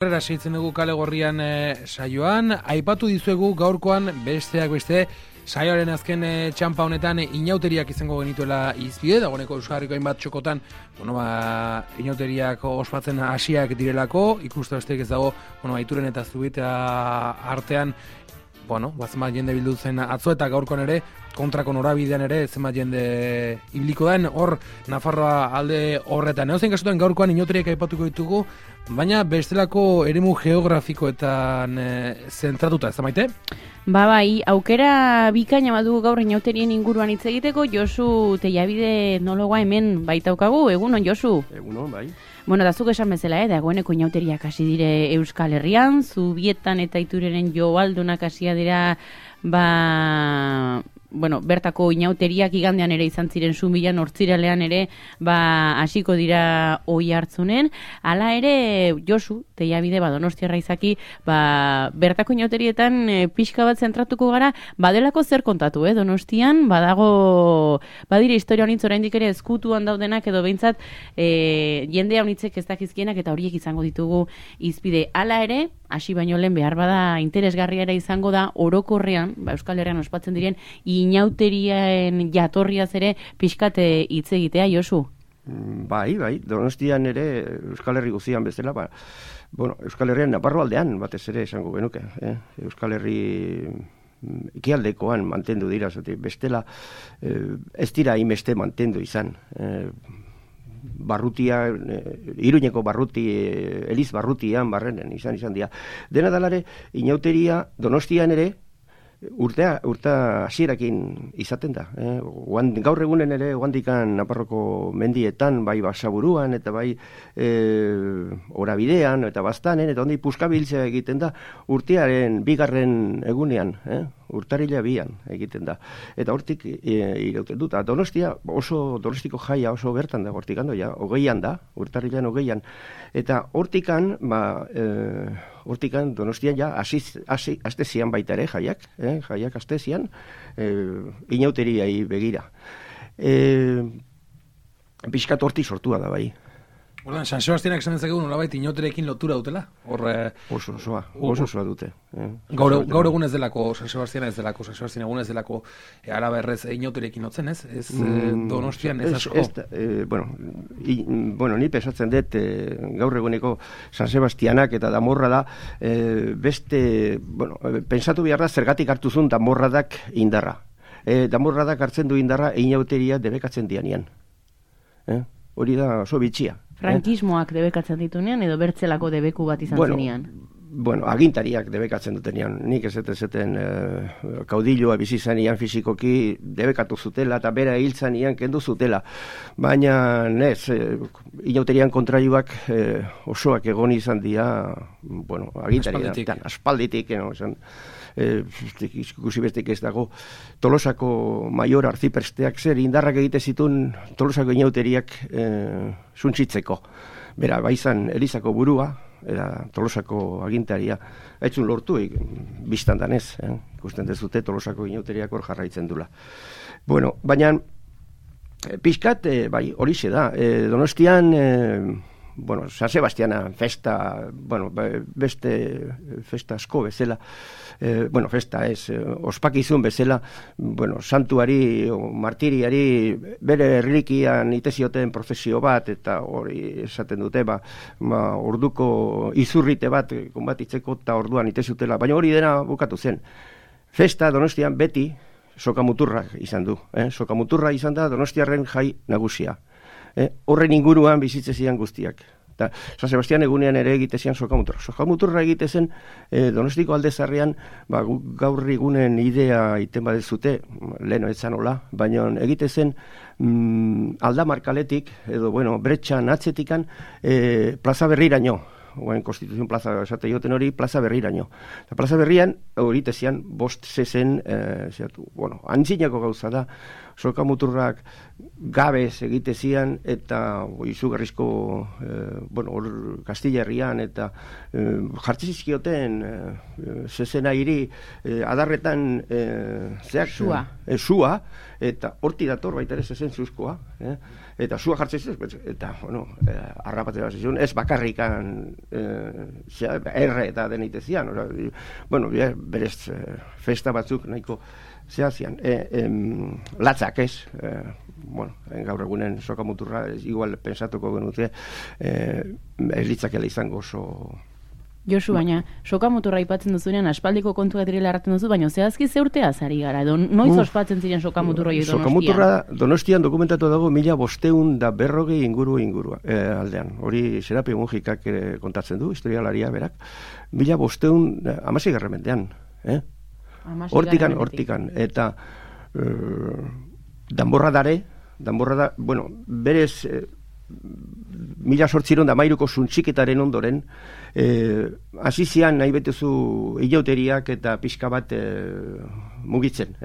Herrera seitzen dugu kale gorrian saioan, aipatu dizuegu gaurkoan besteak beste saioaren azken txampa honetan inauteriak izango genituela izbide, dagoeneko Euskal Herriko hainbat txokotan, inauteriak ospatzen hasiak direlako, ikuste besteik ez dago, Aituren eta Zubita artean, zenbat jende bildu zen atzo eta gaurkoan ere, kontrako norabidean ere, zenbat jende ibiliko den, hor Nafarroa alde horretan. Edozein kasutan gaurkoan inauteriak aipatuko ditugu, baina bestelako eremu geografikoetan zentratuta, ez da Maite? Bai, aukera bikaina badugu gaur inauterien inguruan hitz egiteko. Josu Teiabide etnologoa hemen baitaukagu. Egunon, Josu? Egunon, bai. Da zuk esan bezala, dagoeneko inauteriak hasi dire Euskal Herrian, Zubietan eta Itureren joaldunak hasia dira, bertako inauteriak igandean ere izan ziren Zubian, Hortziralean ere hasiko dira Oiartzunen. Hala ere, Josu Teiabide Donostiarra izaki, bertako inauterietan pixka bat zentratuko gara, badelako zer kontatu, Donostian, badire historia honitz oraindik ere ezkutuan daudenak edo behintzat jende honitzek ez dakizkienak eta horiek izango ditugu izpide. Hala ere, hasi baino lehen behar bada interesgarria ere izango da orokorrean, Euskal Herrian ospatzen diren inauteriaen jatorriaz ere pixkate hitz egitea, Josu? Bai, Donostian ere Euskal Herri guztian bezala, Euskal Herrian Naparro aldean batez ere esango genuke, Euskal Herri ekialdekoan mantendu dira, bestela ez dira hainbeste mantendu izan. Barrutia, Iruñeko barruti, Eliz barrutian barrenen izan dira. Dena dalare, inauteria Donostian ere urta hasierakin izaten da. Gaur egunen ere, oandikan Naparroko mendietan, bai Basaburuan, eta bai Orabidean, eta Baztanen, eta ondi puskabiltzea egiten da, urtearen bigarren egunean, urtarila 2an egiten da. Eta hortik irauten dut. Donostia, Donostiko jaia oso bertan da, hortik ando, 20an da, urtarilan 20an. Eta hortikan Donostian aste zian baita ere jaiak aste zian, inauteriai begira. Piskat hortik sortua da bai. Ordan, San Sebastianak esan dezakegu nolabait inauterekin lotura dutela? Oso osoa dute. Gaur egun ez delako, San Sebastian ez delako, San Sebastian egun ez delako, araba errez inauterekin lotzen, ez? Ez Donostian ez asko? Ni pesatzen dut, gaur eguneko San Sebastianak eta Damorra da, pensatu behar da zergatik hartu zuen Damorradak indarra. Damorradak hartzen du indarra inauteria debekatzen dianean. Hori da oso bitxia. Frankismoak debekatzen ditunean edo bertzelako debeku bat izan zinean? Agintariak debekatzen dutenean. Nik ez zeten kaudilloa bizi zanean fizikoki debekatu zutela eta bera hiltzanian kendu zutela. Baina inauterian kontraioak osoak egon izan dira agintariak. Aspalditik. Ikusi bestik ez dago Tolosako maior arzipresteak zer indarrak egite zituen Tolosako inauteriak suntsitzeko. Bera, baizan Elizako burua eta Tolosako agintaria haitzun lortu biztan danez, ikusten dezute Tolosako inauteriak hor jarraitzen dula. Baina pixkat, horixe da, Donostian San Sebastiana festa, beste festa asko bezala, festa ez, ospakizun bezala, santuari, martiriari, bere erlikian itezioten prozesio bat, eta hori esaten dute, orduko izurrite bat, konbatitzeko eta orduan itezutela, baina hori dena bukatu zen. Festa Donostian beti sokamuturra izan du, sokamuturra izan da Donostiarren jai nagusia. Horren inguruan bizitze zian guztiak. San Sebastian egunean ere egitezian sokamuturra. Sokamuturra egitezen Donostiko aldezarrean gaur egunen idea iten badezute, leheno etzan hola, baina egitezen aldamarkaletik, edo bretxan atzetikan plaza berriraino. Konstituzion plaza esate joten hori, plaza berriraino. Eta plaza berrian hori tezian bost zezen, antzinako gauza da, sokamuturrak gabez egite zian, eta izugarrizko, Kastilla herrian, eta jartzizkioten zezena hiri adarretan sua, eta horti dator baita ere zezen zuzkoa, eta sua jartzen eta, harrapatzen bat zizun, ez bakarrikan erre eta denite zian, berez festa batzuk nahiko zehazian, latzak ez, gaur egunen sokamuturra, igual pensatuko genute, ez litzakela izango oso... Josu, baina, sokamuturra aipatzen duzunean, aspaldiko kontua direla erraten duzu, baina zehazki ze urtea zari gara, noiz ospatzen ziren sokamuturroi Donostian? Sokamuturra Donostian dokumentatu dago 1540 inguru aldean. Hori Serapi Mujikak kontatzen du, historialaria berak. 1516 mendean. Hortikan. Eta danborradare, berez 1813ko zuntxiketaren ondoren, hasi zian nahi betezu ilauteriak eta pixka bat mugitzen.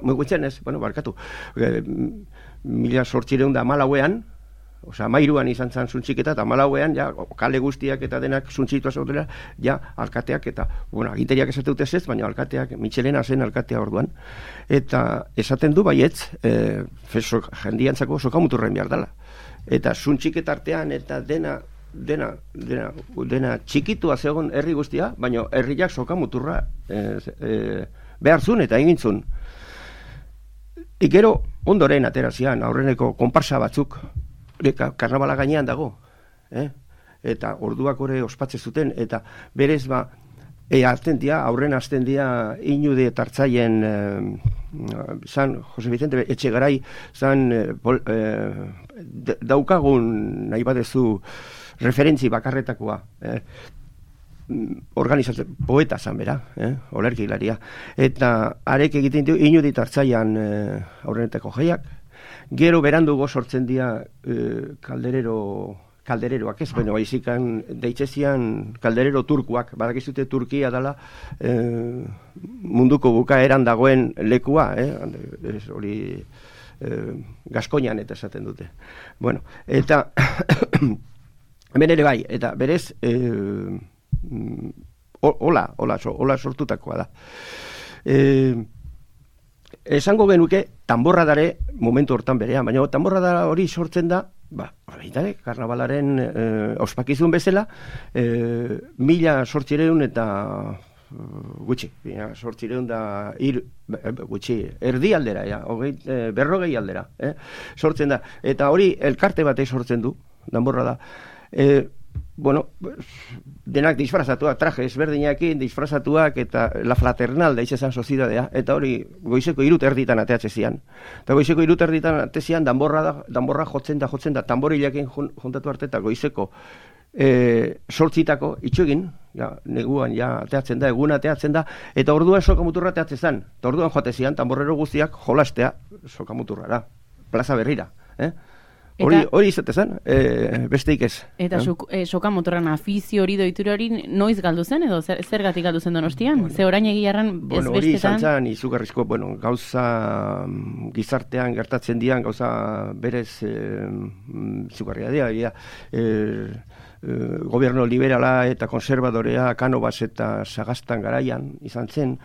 Mugitzen ez, barkatu. 1814an, Mairuan izan zen zuntxiketa, eta Malauean, kale guztiak eta denak zuntxitua zautela, alkateak eta, aginteriak esateute ez, baina alkateak, Michelena zen alkatea orduan, eta esaten du baietz, jendiantzako sokamuturren behar dela. Eta zuntxiketa artean, eta dena txikitua zegoen herri guztia, baina herriak sokamuturra behar zuen eta egintzun. Ikero ondoren aterazian, aurreneko konparsa batzuk, karnabala gainean dago, eta orduak hori ospatze zuten, eta berez aurren azten dia inude tartzaien zan Jose Vicente Etxegarai zan daukagun nahi badezu referentzi bakarretakoa organizatzen poeta zan bera, olerkilaria, eta arek egiten du inude tartzaian aurrenetako jaiak. Gero berandugo sortzen dira kaldereroak ez, baizikan deitzezian kalderero turkuak, badakizute Turkia dela munduko bukaeran dagoen lekua, hori Gaskoinan eta esaten dute. Eta hemen ere bai, eta berez hola sortutakoa da. Esango genuke tanborradare momentu hortan berean, baina tanborradara hori sortzen da, karnabalaren ospakizun bezala, 1800 eta gutxi, 1800 da erdi aldera, 40 aldera, sortzen da, eta hori elkarte batek sortzen du, tanborrada, denak disfrazatuak, traje ezberdinekin disfrazatuak, eta la fraternal da izan sozidadea, eta hori goizeko 3 erditan ateatze zian. Eta goizeko 3 erditan atezian danborra jotzen da, tamborilekin juntatu arte, eta goizeko sortzitako itxegin, neguan ateatzen da, egun ateatzen da, eta orduan sokamuturra ateatzen zen, eta orduan joate zian, tamborrero guztiak jolastea sokamuturrara, plaza berrira, Hori izate zen, besteik ez. Eta sokamuturran afizio hori doitura hori noiz galdu zen, edo zergatik galdu zen Donostian? Ze orain egiarran ez bestetan? Hori izan zen, izugarrizko, gauza gizartean gertatzen dian, gauza berez izugarria dira, gobierno liberala eta konservadorea Canovas eta Sagastan garaian izan zen,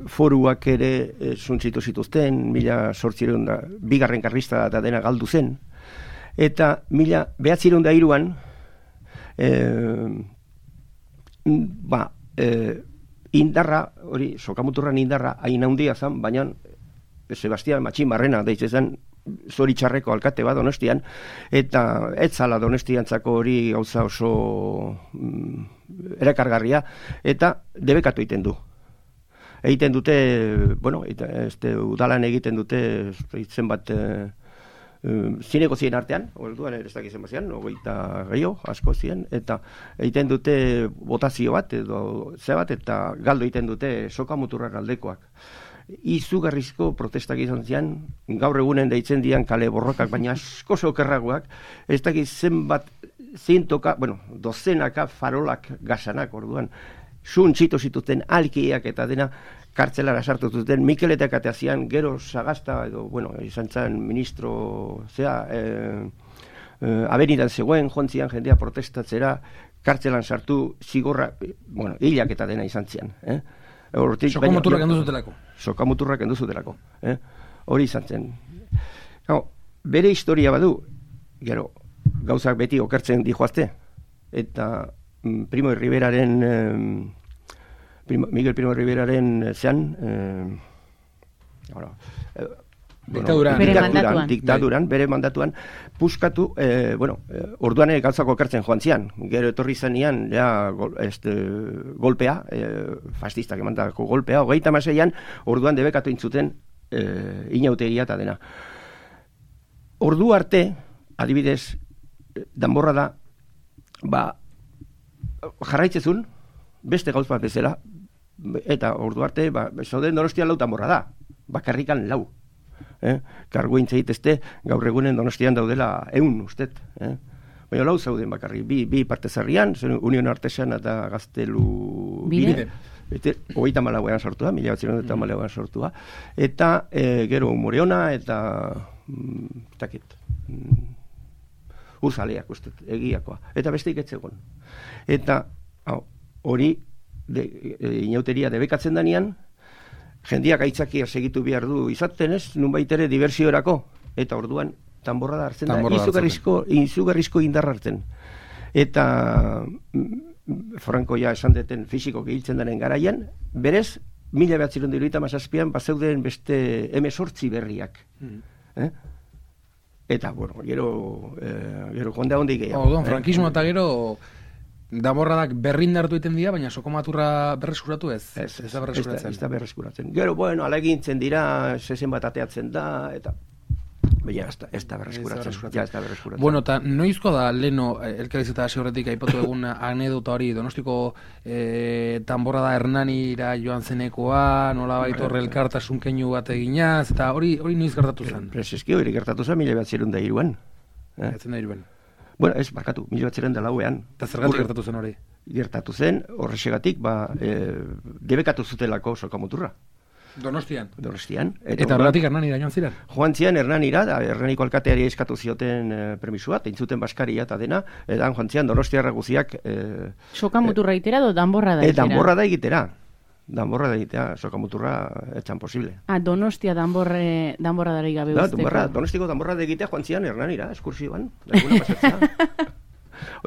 foruak ere zuntzitu zituzten, 1800 bigarren karlista eta dena galdu zen, eta 1903an indarra, hori sokamuturran indarra hain handia zen, baina Sebastián Matxin Barrena deitzen zen zoritxarreko alkate bat Donostian, eta ez zala Donostiantzako hori gauza oso erakargarria, eta debekatu egiten du. Egiten dute, udalan egiten dute zenbat zineko zien artean, orduan ez dakizen bazian, 20 gehiago, asko zien, eta egiten dute botazio bat, edo zebat, eta galdo egiten dute sokamuturrak aldekoak. Izugarrizko protestak izan zian, gaur egunen deitzen dian kale borrokak, baina asko okerragoak, ez dakit zenbat dozenaka farolak gasanak orduan, Zuntzitu zituzten alkiak eta dena kartzelara sartu zuten, Mikel eta Kateazian, gero Sagasta, edo, bueno, izan zen ministro, abenidan zegoen, jontzian jendea protestatzera, kartzelan sartu, zigorra, bueno, hilak eta dena izan zian. Sokamuturrak enduzutelako. Sokamuturrak enduzutelako. Hori izan zen. Bere historia badu, gero, gauzak beti okertzen dijoazte, eta Primo Riveraren... Miguel Primo Riveraren zean diktaduran, bere mandatuan puskatu, orduan gauzako ekartzen joan zian, gero etorri zenean golpea, fascistak emandako golpea, 36an orduan debekatu intzuten inauteria eta dena. Ordu arte, adibidez, danborra da, jarraitzezun, beste gauz bat bezala, eta ordu arte, zauden Donostian 4 danborra da, bakarrikan 4. Kargu intzaitezte, gaur egunen Donostian daudela 100, ustet. Baina 4 zauden bakarri, bi parte zarrian, Union Artesana eta Gaztelu bide. 34an sortua, 1934an sortua. Eta gero Moreona eta Urzaleak, ustet, egiakoa. Eta besteik etzegon. Eta hori inauteria debekatzen danean, jendiak aitzakia segitu behar du izaten ez, nunbait ere diversiorako, eta orduan tanborra da hartzen da, izugarrizko indarra hartzen. Eta Franco ja esan deten fisiko gehiltzen denen garaian, berez, 1977an bazeuden beste M8 berriak. Eta, bueno, gero jonda hondi gehiago. Frankismo eta gero... Danborradak berrindartu egiten dira, baina sokomaturra berreskuratu ez? Ez da berreskuratzen. Gero, bueno, alegintzen dira, zezen bat ateatzen da, eta... Baina ez da berreskuratzen. Bueno, eta noizko da, leno, elkariz eta hasi horretik aipatu egun anedota hori, Donostiko danborrada Hernanira joan zenekoa, nola baitorre elkartasun keinu bat eginaz, eta hori noiz gertatu zen? Prezeski hori gertatu zen, 1903an. Bueno, ez, barkatu, 1904an. Eta zergatik gertatu zen hori? Gertatu zen, horrexegatik, debekatu zutelako sokamuturra. Donostian? Donostian. Eta horregatik Hernanira joan ziren? Joan ziren Hernanira, Hernaniko alkateari eskatu zioten permisua, eintzuten baskaria eta dena, eta joan ziren Donostiarra guziak... Sokamuturra egitera do danborra da egitera? Danborra da egitera. Danborra da egitea, sokamuturra etxan posible. Donostia danborra dara igabe usteko. Donostiko danborra da egitea joan zian Hernanira, eskursioan.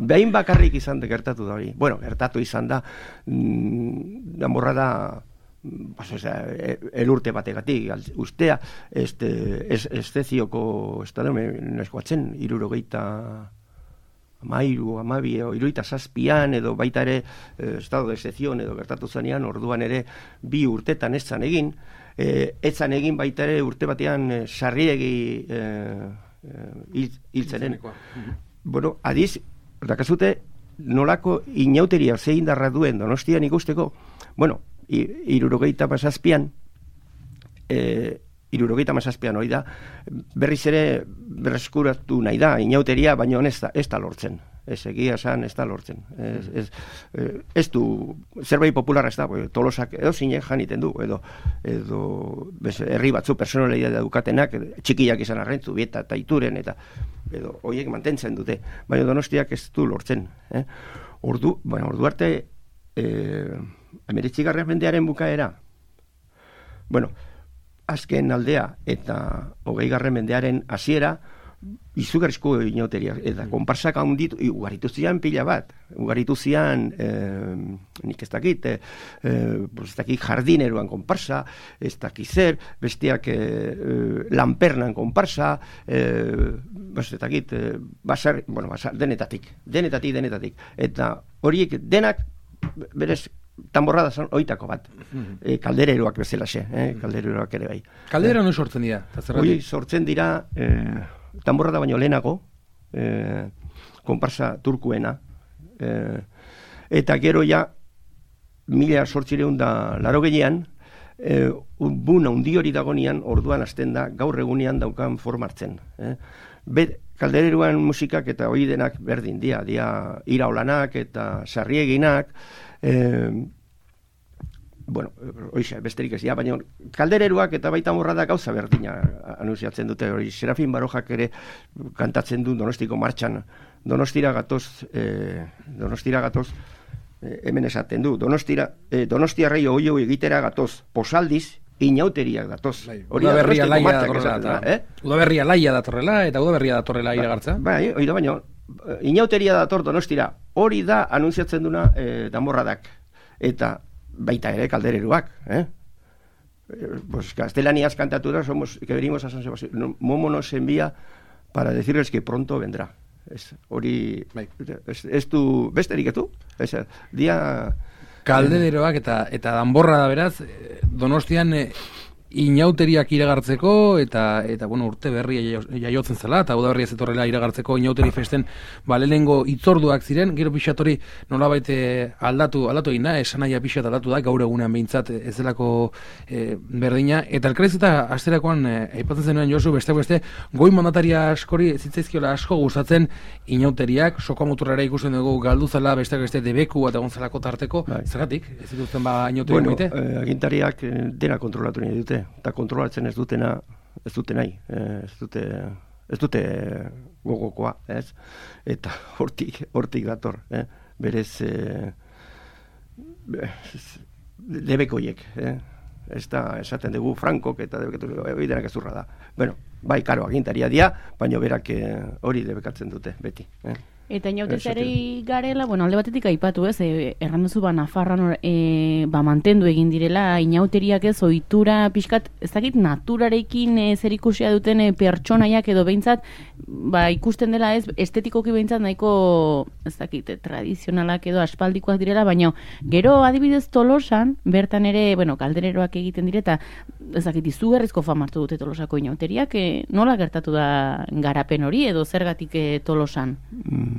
Behin bakarrik izan gertatu da hori. Bueno, gertatu izan da, danborra da, elurte bategatik, ustea, estezioko, neskoatzen, 67an edo baita ere estado de excepción edo gertatu zanean, orduan ere 2 urtetan ez zan egin, baita ere urte batean sarriegi hiltzenen. Bueno, adiz, dakazute nolako inauteria zein darra duen Donostian ikusteko, bueno, 77an, 77an hori da, berriz ere berreskuratu nahi da, inauteria, baina ez da lortzen. Ez egia esan, ez da lortzen. Ez du, zerbait popularra ez da, Tolosak edo zinek janiten du, edo herri batzu personalidad dukatenak, txikiak izan arrentzu, Bieta eta Ituren, edo horiek mantentzen dute, baina Donostiak ez du lortzen. Ordu arte, 19. mendearen bukaera, bueno, azken aldea eta 20. mendearen hasiera izugarrizko inauteria, eta konparsak handitu, ugaritu zian pila bat, ugaritu zian, nik ez dakit, jardineroan konparsa, ez dakit zer, besteak lanpernan konparsa, ez dakit, basar, denetatik, eta horiek denak, berez, tanborrada zan oitako bat, kaldereroak bezalaxe, kaldereroak ere bai. Kaldera no sortzen dira? Hoi sortzen dira tanborrada baino lehenago, konparsa turkuena, eta gero ja 1880an, buna undi hori dagonian, orduan hasten da, gaur egunean daukan formartzen. Kaldereroan musikak eta hori denak berdin, dia iraolanak eta sarrieginak, bueno, oixe, besterik ez, baina kaldereruak eta baita morradak gauza berdina anunciatzen dute, hori Serafin Barojak ere kantatzen du Donostiko martxan, Donostira gatoz, hemen esaten du, Donostiarrei oio egitera gatoz, posaldiz, inauteriak datoz. Udaberria laia datorrela, eta udaberria datorrela iragartza. Bai, oida baino, inauteria dator Donostira, hori da anunciatzen duna danborradak, eta baita ere kaldereruak, pues gaztelaniaz kantatu da, que venimos a San Sebastián, Momo nos envía para decirles que pronto vendrá. Hori, ez du, besterik etu? Dia... Kaldereroak eta danborra da beraz, Donostian inauteriak iragartzeko eta bueno, urte berria jaiotzen zela eta udaberria zetorrela iragartzeko inauteri festen lehenengo itzorduak ziren, gero pixatori nolabait aldatu egin da, esanaia pixat aldatu da, gaur egunean behintzat ez delako berdina, eta elkarez eta asterakoan aipatzen zenuen Josu, beste goi mandataria askori zitzaizkiola asko gustatzen inauteriak, sokomoturrara ikusten dugu galduzala beste debeku eta gontzalako tarteko, zergatik? Ez dituzten inauteri moite? Bueno, agintariak dena kontrolatu nahi dute, eta kontrolatzen ez dute nahi, ez dute gogokoa, ez? Eta hortik dator, berez debekoiek, ez da esaten dugu Frankok eta debeketu ezurra da. Bueno, bai, karo, agintaria dia, baina berak hori debekatzen dute, beti. Eta inautezarei garela, bueno, alde batetik aipatu ez, erran duzu Nafarroan mantendu egin direla, inauteriak ez, ohitura pixkat, ez dakit naturarekin zerikusia duten pertsonaiak edo behintzat, ikusten dela ez, estetikoki behintzat nahiko, ez dakit, tradizionalak edo aspaldikoak direla, baina gero adibidez Tolosan, bertan ere, bueno, kaldereroak egiten direta, ez dakit, izugarrizko famartu dute Tolosako inauteriak, nola gertatu da garapen hori edo zergatik Tolosan?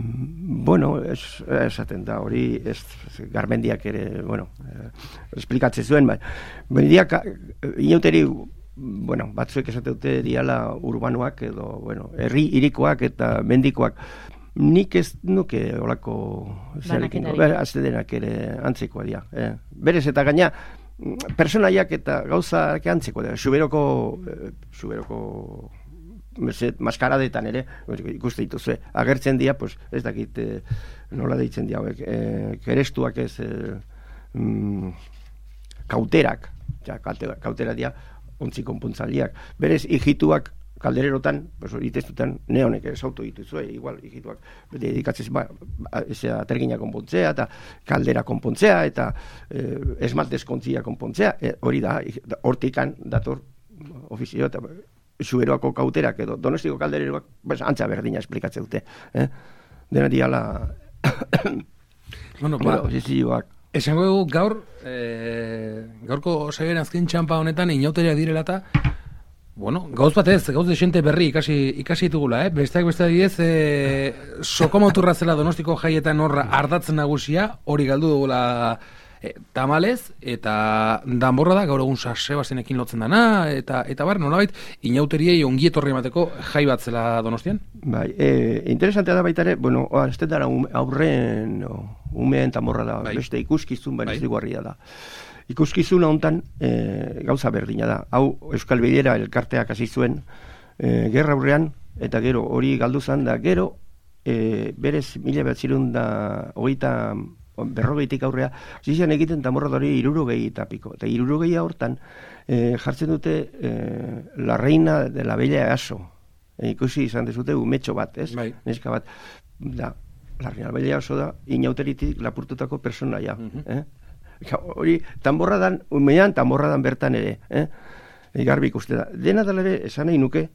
Bueno, esaten da, hori Garmendiak ere, bueno, esplikatzen zuen, bendiak inauteri, bueno, batzuek esate dute diala urbanoak edo, bueno, herri irikoak eta mendikoak. Nik ez nuke olako aztedenak ere antzikoa dira. Berez eta gaina, personaiak eta gauzak antzikoa dira. Suberoko maskaradetan ere, ikuste dituzue, agertzen dira, pues, ez dakit nola deitzen dira, kerestuak ez kauterak, kautera dira, ontzi konpontzaliak. Berez, hijituak kaldererotan, pues, itestutan, neonek esautu dituzue, igual, hijituak, dedikatzen, atergina konpontzea, eta kaldera konpontzea, eta esmaltezkontzia konpontzea, hori da, hortikan dator ofizio, eta Zuberoako kauterak edo Donostiko kaldereroak antza berdina esplikatzen dute. Dena diala posizioak. Esango dugu gaurko saioaren azken txampa honetan inauteriak direla eta gauz batez, gauz desente berri ikasi ditugula, besteak adibidez sokomoturra zela Donostiko jaietan horra ardatzen nagusia, hori galdu dugula tamalez, eta danborra da, gaur egun Sebastianekin lotzen dana, eta bar, nolabait, inauteriei ongietorri emateko jai bat zela Donostian? Bai, interesantea da baita ere, bueno, ez dara aurren umeen danborra da, beste ikuskizun bereziguarria da. Ikuskizuna hontan gauza berdina da. Hau Euskal Bilera elkarteak hasi zuen gerra aurrean, eta gero hori galdu zan da, gero berez 1930 berrogeitik aurrea, zizian egiten tamorradori 60 eta piko. Eta 60 hortan jartzen dute la reina de la bella Aso. Ikusi izan dezute umetxo bat, ez? Neska bat. Da, la reina de la bella Aso da inauteritik lapurtutako personaia. Hori, tamborradan, umean tamborradan bertan ere. Garbi ikuste da. Dena dela ere, esan nahi nuke,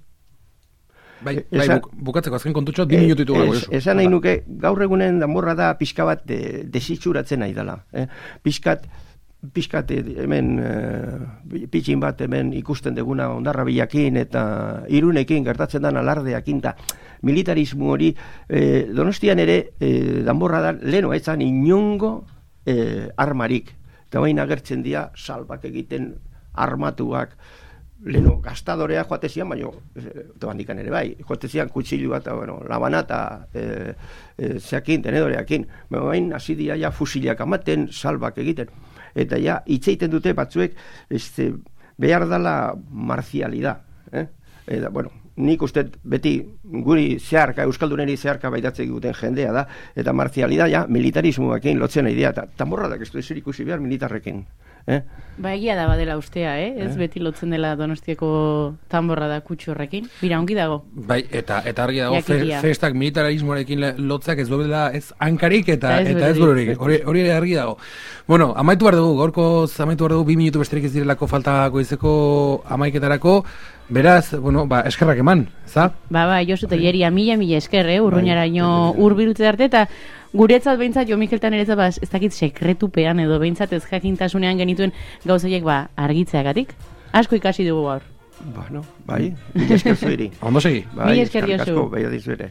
bukatzeko azken kontutxo 2 minutu ditugu. Esan nahi nuke, gaur egunen danborra da pixka bat desitxuratzen nahi dela. Pixkat hemen pitxin bat hemen ikusten deguna ondarra bilakin eta Irunekin gertatzen dan alardeakin eta militarismo hori Donostian ere danborra da leheno etzan inongo armarik. Eta baina agertzen dira salbak egiten armatuak leno gastadorea joatezian, baina handikan ere bai, joatezian kutsilu bat, labana eta zeakin, tenedoreakin, baina hasi dira ja fusilak amaten, salbak egiten, eta ja itzeiten dute batzuek behar dela marzialidad, eta, nik uste beti guri zeharka, euskalduneri zeharka baitatzen duten jendea da, eta marzialidad ja militarismoakin lotzen idea, eta tamborradak ez du ezer ikusi behar militarrekin. Ba, egia da badela ustea, ez beti lotzen dela Donostiako tamborra da kutsu horrekin. Bira, ongi dago. Bai, eta argi dago, festak militarismoarekin lotzak ez duela ez hankarik eta ez bururik. Hori argi dago. Bueno, amaitu behar dugu, gaurkoz amaitu behar dugu, 2 minutu besterik ez direlako falta goizeko amaiketarako. Beraz, eskerrak eman, za? Ba, Josu Telleria, mila esker, urruñaraino hurbiltze arte, eta guretzat behintzat, Jo Mikeltan ere ez dakit sekretupean edo behintzat ez jakintasunean genituen gauzaiek argitzeagatik. Asko ikasi dugu gaur. Bai, mila esker zuiri. Ondo segi. Mila esker, Josu. Bai, asko, bai, adizu ere.